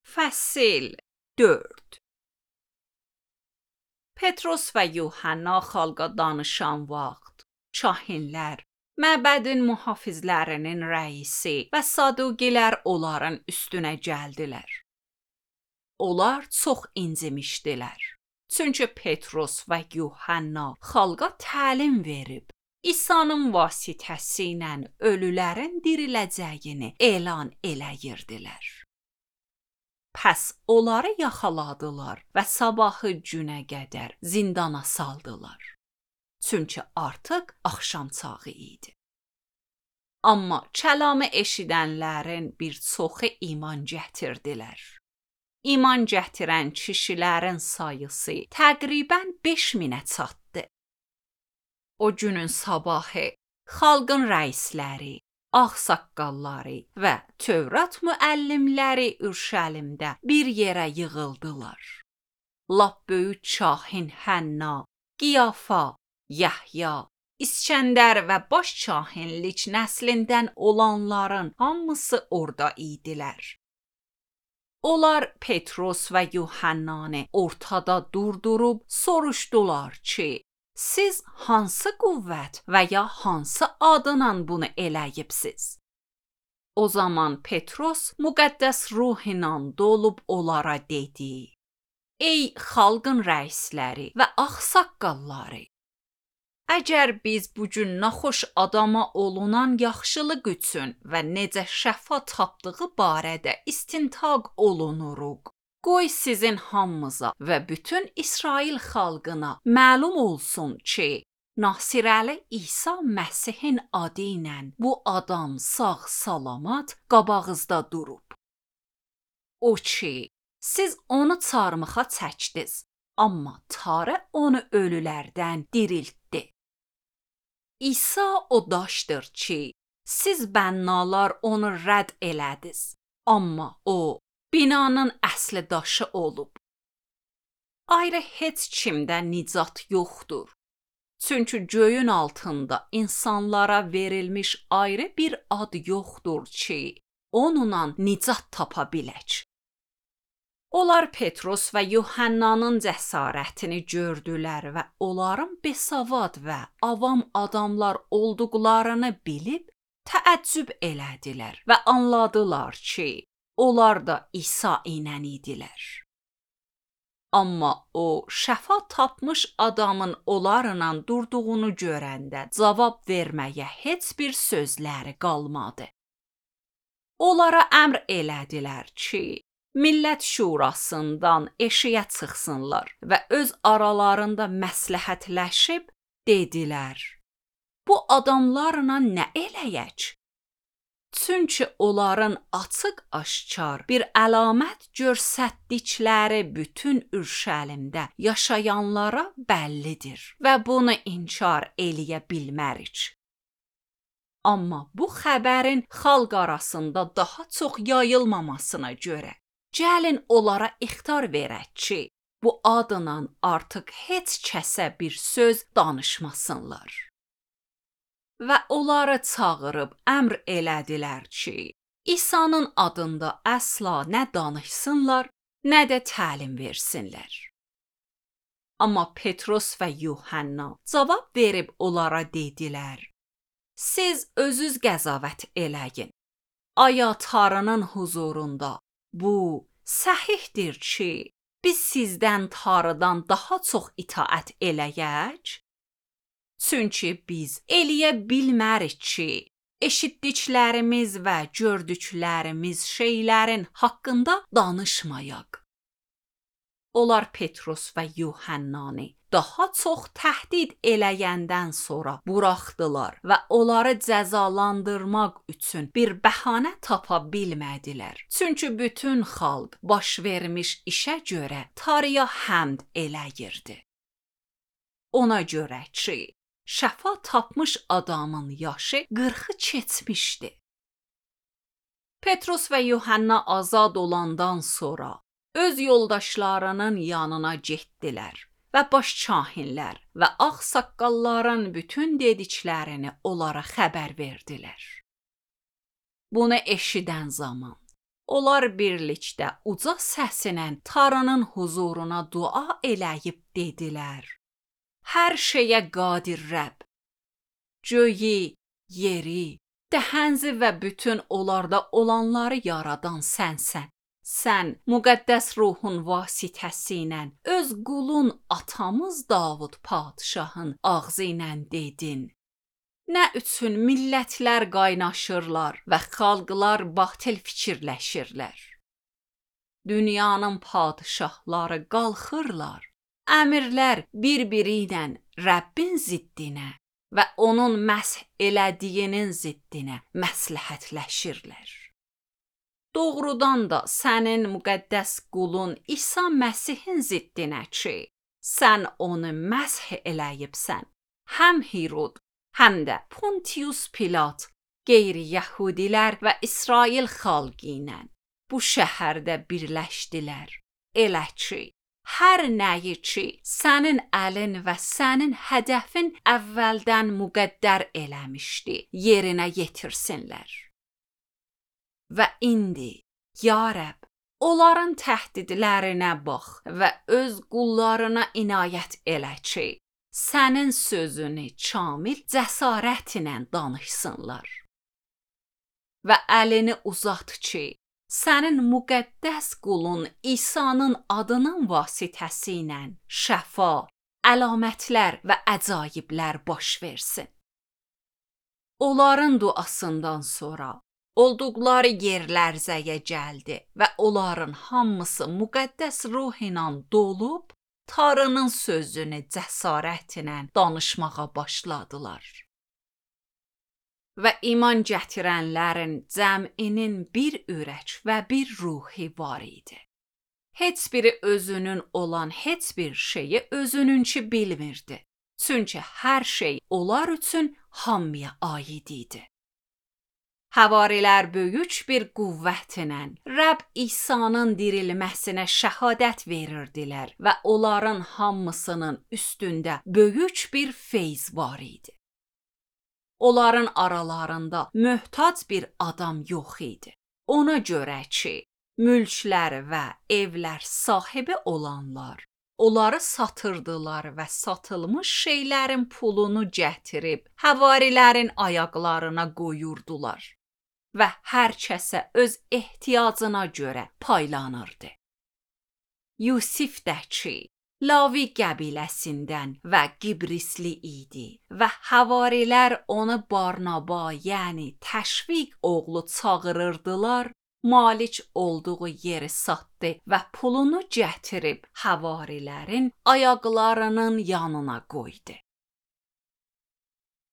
Fəsil 4 Petros və Yuhanna xalqa danışan vaxt, kahinlər, məbədin mühafizlərinin rəisi və Sadugilər onların üstünə gəldilər. Onlar çox incimişdilər. Çünki Petros və Yuhanna xalqa təlim verib, İsa'nın vasitəsi ilə ölülərin diriləcəyini elan eləyirdilər. Pəs onları yaxaladılar və sabahı günə qədər zindana saldılar. Çünki artıq axşam çağı idi. Amma kəlamı eşidənlərin bir çoxu iman gətirdilər. İman gətirən kişilərin sayısı təqribən 5000-ə çatdı. O günün sabahı xalqın rəisləri, ağsaqqalları və Tövrat müəllimləri Ürşəlimdə bir yerə yığıldılar. Lap böyük kahin Hənna, Qiyafa, Yəhya, İskəndər və baş kahinlik nəslindən olanların hamısı orada idilər. Onlar Petros və Yuhannanı ortada durdurub soruşdular ki, siz hansı qüvvət və ya hansı adla bunu eləyibsiz? O zaman Petros müqəddəs ruh ilə dolub onlara dedi: Ey xalqın rəisləri və ağsaqqalları! Əgər biz bugün naxoş adama olunan yaxşılıq üçün və necə şəfa tapdığı barədə istintaq olunuruq, qoy sizin hamımıza və bütün İsrail xalqına məlum olsun ki, Nasirəli İsa Məsihin adı ilə bu adam sağ-salamat qabağınızda durub. O ki, siz onu çarmıxa çəkdiniz, amma Tanrı onu ölülərdən diriltdi. İsa o daşdır ki, siz bənnalar onu rədd elədiniz, amma o binanın əsli daşı olub. Ayrı heç kimdə nicat yoxdur. Çünki göyün altında insanlara verilmiş ayrı bir ad yoxdur ki, onunla nicat tapa bilək. Onlar Petros və Yuhannanın cəsarətini gördülər və onların besavad və avam adamlar olduqlarını bilib təəccüb elədilər və anladılar ki, onlar da İsa ilə idilər. Amma o, şəfa tapmış adamın onlarla durduğunu görəndə cavab verməyə heç bir sözləri qalmadı. Onlara əmr elədilər ki, millət şurasından eşiyə çıxsınlar və öz aralarında məsləhətləşib dedilər: Bu adamlarla nə eləyək? Çünki onların açıq-aşkar bir əlamət göstərdikləri bütün Ürşəlimdə yaşayanlara bəllidir və bunu inkar eləyə bilmərik. Amma bu xəbərin xalq arasında daha çox yayılmamasına görə, gəlin onlara ixtar verək ki, bu adla artıq heç kəsə bir söz danışmasınlar. Və onları çağırıb əmr elədilər ki, İsa'nın adında əsla nə danışsınlar, nə də təlim versinlər. Amma Petros və Yuhanna cavab verib onlara dedilər: Siz özünüz qəzavət eləyin. Aya Tanrının huzurunda bu səhihdir ki, biz sizdən Tanrıdan daha çox itaət eləyək? Çünki biz eləyə bilmərik ki, eşitdiklərimiz və gördüklərimiz şeylərin haqqında danışmayaq. Onlar Petros və Yuhannanı daha çox təhdid eləyəndən sonra buraxdılar və onları cəzalandırmaq üçün bir bəhanə tapa bilmədilər. Çünki bütün xalq baş vermiş işə görə Tanrıya həmd eləyirdi. Ona görə ki, şəfa tapmış adamın yaşı 40-ı keçmişdi. Petros və Yuhanna azad olandan sonra öz yoldaşlarının yanına getdilər və baş kahinlər və ağsaqqalların bütün dediklərini onlara xəbər verdilər. Bunu eşidən zaman Onlar birlikdə uca səslə Tanrının huzuruna dua eləyib dedilər: Hər şeyə qadir Rəbb, göyü, yeri, dəhənzi və bütün onlarda olanları yaradan sənsən. Sən müqəddəs ruhun vasitəsilə öz qulun atamız Davud padşahın ağzı ilə dedin. Nə üçün millətlər qaynaşırlar və xalqlar batil fikirləşirlər? Dünyanın padşahları qalxırlar, əmirlər bir-biri ilə Rəbbin ziddinə və onun məsh elədiyinin ziddinə məsləhətləşirlər. Doğrudan da sənin müqəddəs qulun İsa Məsihin ziddinə ki, sən onu məsh eləyibsən, həm Hirod, həm də Pontius Pilat, qeyri-yəhudilər və İsrail xalqı ilə bu şəhərdə birləşdilər. Elə ki, hər nəyi ki, sənin əlin və sənin hədəfin əvvəldən müqəddər eləmişdi, yerinə yetirsinlər. Və indi, ya Rəbb, onların təhdidlərinə bax və öz qullarına inayət elə ki, sənin sözünü kamil cəsarətlə danışsınlar. Və əlini uzat ki, sənin müqəddəs qulun İsa'nın adının vasitəsilə şəfa, əlamətlər və əcaiblər baş versin. Onların duasından sonra olduqları yer lərzəyə gəldi və onların hamısı müqəddəs ruh ilə dolub, Tanrının sözünü cəsarətlə danışmağa başladılar. Və iman gətirənlərin cəminin bir ürək və bir ruhi var idi. Heç biri özünün olan heç bir şeyi özününki bilmirdi. Çünki hər şey onlar üçün hamıya aid idi. Həvarilər böyük bir qüvvətlə Rəbb İsa'nın dirilməsinə şəhadət verirdilər və onların hamısının üstündə böyük bir feyz var idi. Onların aralarında möhtac bir adam yox idi. Ona görə ki, mülklər və evlər sahibi olanlar onları satırdılar və satılmış şeylərin pulunu gətirib həvarilərin ayaqlarına qoyurdular və hər kəsə öz ehtiyacına görə paylanırdı. Yusif də ki, Lavi qəbiləsindən və Qibrisli idi və həvarilər onu Barnaba, yəni təşviq oğlu çağırırdılar, malik olduğu yeri satdı və pulunu gətirib həvarilərin ayaqlarının yanına qoydu.